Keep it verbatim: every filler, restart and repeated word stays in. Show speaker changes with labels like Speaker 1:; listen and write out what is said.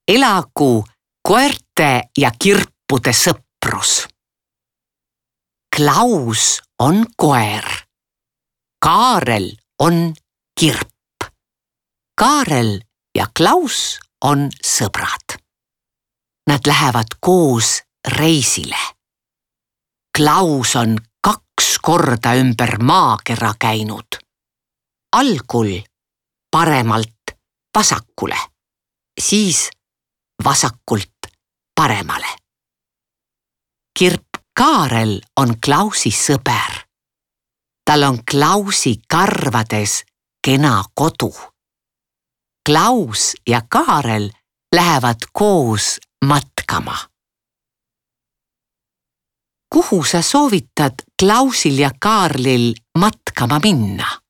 Speaker 1: elagu koerte ja kirpude sõprus. Klaus on koer. Kaarel on kirp. Kaarel ja Klaus on sõbrad. Nad lähevad koos reisile. Klaus on kaks korda ümber maakera käinud. Algul paremalt vasakule, siis vasakult paremale. Kirp Kaarel on Klausi sõber. Tal on Klausi karvades kena kodu. Klaus ja Kaarel lähevad koos matkama. Kuhu sa soovitad Klausil ja Kaarlil matkama minna?